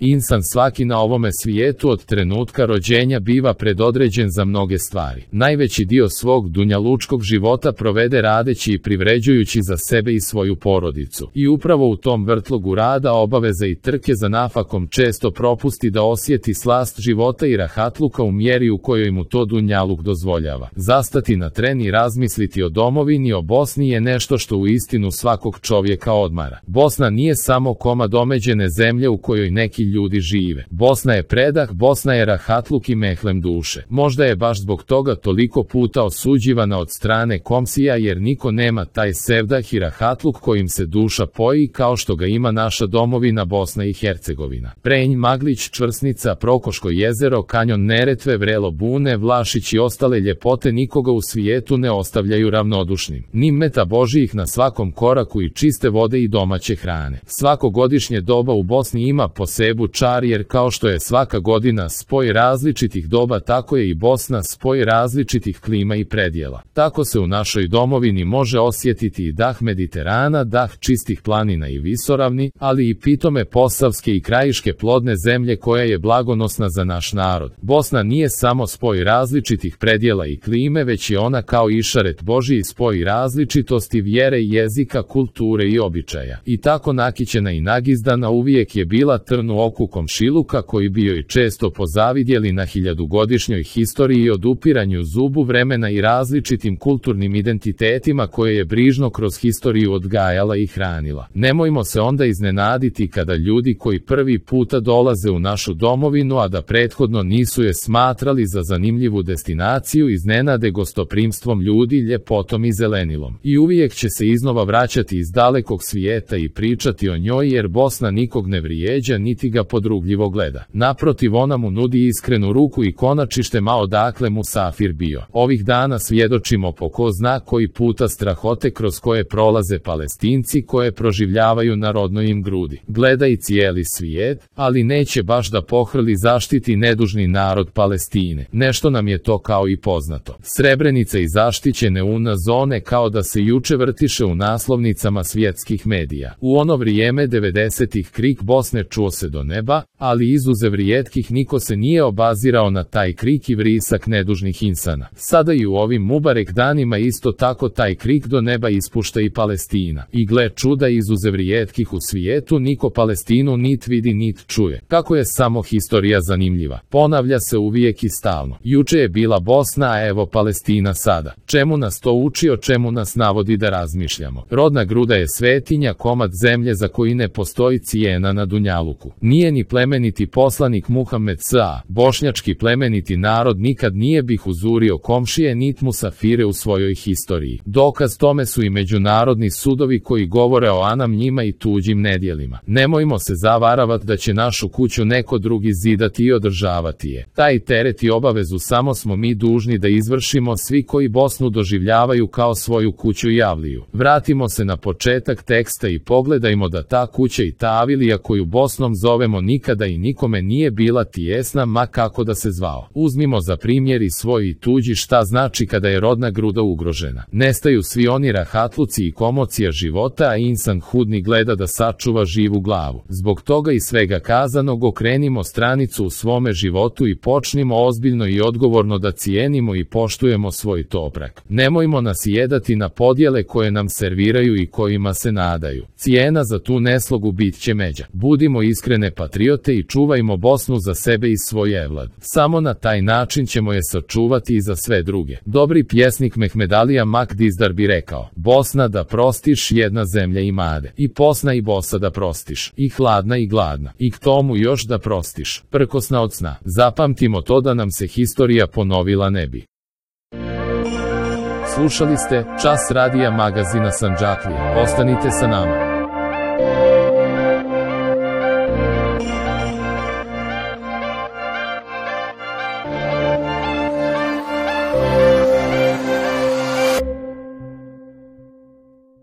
Insan svaki na ovome svijetu od trenutka rođenja biva predodređen za mnoge stvari. Najveći dio svog dunjalučkog života provede radeći i privređujući za sebe i svoju porodicu. I upravo u tom vrtlogu rada, obaveza i trke za nafakom često propusti da osjeti slast života i rahatluka u mjeri u kojoj mu to dunjaluk dozvoljava. Zastati na tren i razmisliti o domovini, o Bosni je nešto što uistinu svakog čovjeka odmara. Bosna nije samo komad omeđene zemlje u kojoj neki ljudi žive. Bosna je predah, Bosna je rahatluk i mehlem duše. Možda je baš zbog toga toliko puta osuđivana od strane komsija, jer niko nema taj sevdah i rahatluk kojim se duša poji kao što ga ima naša domovina Bosna i Hercegovina. Prenj, Maglić, Čvrsnica, Prokoško jezero, kanjon Neretve, vrelo Bune, Vlašić i ostale ljepote nikoga u svijetu ne ostavljaju ravnodušnim. Ni meta božjih na svakom koraku i čiste vode i domaće hrane. Svako godišnje doba u Bosni ima posebu čar, jer kao što je svaka godina spoj različitih doba, tako je i Bosna spoj različitih klima i predjela. Tako se u našoj domovini može osjetiti i dah Mediterana, dah čistih planina i visoravni, ali i pitome posavske i krajiške plodne zemlje koja je blagonosna za naš narod. Bosna nije samo spoj različitih predjela i klime, već je ona kao išaret Božji spoj različitosti vjere, jezika, kulture i običaja. I tako nakićena i nagizdana uvijek je bila trn u oku komšiluka koji bi joj često pozavidjeli na hiljadugodišnjoj historiji i odupiranju zubu vremena i različitim kulturnim identitetima koje je brižno kroz historiju odgajala i hranila. Nemojmo se onda iznenaditi kada ljudi koji prvi puta dolaze u našu domovinu, a da prethodno nisu je smatrali za zanimljivu destinaciju, iznenade gostoprimstvom ljudi, ljepotom i zelenilom. I uvijek će se iznova vraćati iz dalekog svijeta i pričati o njoj, jer Bosna nikog ne vrijeđa niti ga podrugljivo gleda. Naprotiv, ona mu nudi iskrenu ruku i konačište ma odakle musafir bio. Ovih dana svjedočimo po ko zna koji puta strahote kroz koje prolaze Palestinci, koje proživljavaju na rodnoj im grudi. Gleda i cijeli svijet, ali neće baš da pohrli zaštiti nedužni narod Palestine. Nešto nam je to kao i poznato. Srebrenica i zaštićene UNA zone kao da se juče vrtiše u naslovnicama svjetskih medija. U ono vrijeme 90-ih krik Bosne čuo se do neba, ali izuzev rijetkih niko se nije obazirao na taj krik i vrisak nedužnih insana. Sada i u ovim Mubarek danima isto tako taj krik do neba ispušta i Palestina. I gle čuda, izuzev rijetkih u svijetu niko Palestinu nit vidi nit čuje. Kako je samo historija zanimljiva. Ponavlja se uvijek i stalno. Juče je bila Bosna, a evo Palestina sada. Čemu nas to uči, o čemu nas navodi da razmišljamo? Rodna gruda je svetinja, komad zemlje za koji ne postoji cijena na dunjaluku. Nije ni plemeniti poslanik Muhammed s.a. bošnjački plemeniti narod nikad nije bih uzurio komšije nit musafire u svojoj historiji. Dokaz tome su i međunarodni sudovi koji govore o anam njima i tuđim nedjelima. Nemojmo se zavaravati da će našu kuću neko drugi zidati i održavati je. Taj teret i obavezu samo smo mi dužni da izvršimo svi koji Bosnu doživljavaju kao svoju kuću i avliju. Vratimo se na početak teksta i pogledajmo da ta kuća i ta avilija koju Bosnom zovemo nikada i nikome nije bila tijesna, ma kako da se zvao. Uzmimo za primjer i svoj i tuđi šta znači kada je rodna gruda ugrožena. Nestaju svi oni rahatluci i komocija života, a insan hudni gleda da sačuva živu glavu. Zbog toga i svega kazanog okrenimo stranicu u svome životu i počnimo ozbiljno i odgovorno da cijenimo i poštujemo svoj toprak. Nemojmo nas jedati na podjele koje nam serviraju i kojima se nadaju. Cijena za tu neslogu bit će međa. Budimo iskrene patriote i čuvajmo Bosnu za sebe i svoj evlad. Samo na taj način ćemo je sačuvati i za sve druge. Dobri pjesnik Mehmedalija Makdizdar bi rekao: Bosna da prostiš, jedna zemlja imade. I posna i bosa da prostiš. I hladna i gladna. I k tomu još da prostiš. Prkosna od sna. Zapamtimo to da nam se historija ponovila ne bi. Slušali ste Čas radija magazina Sandžaklije. Ostanite sa nama.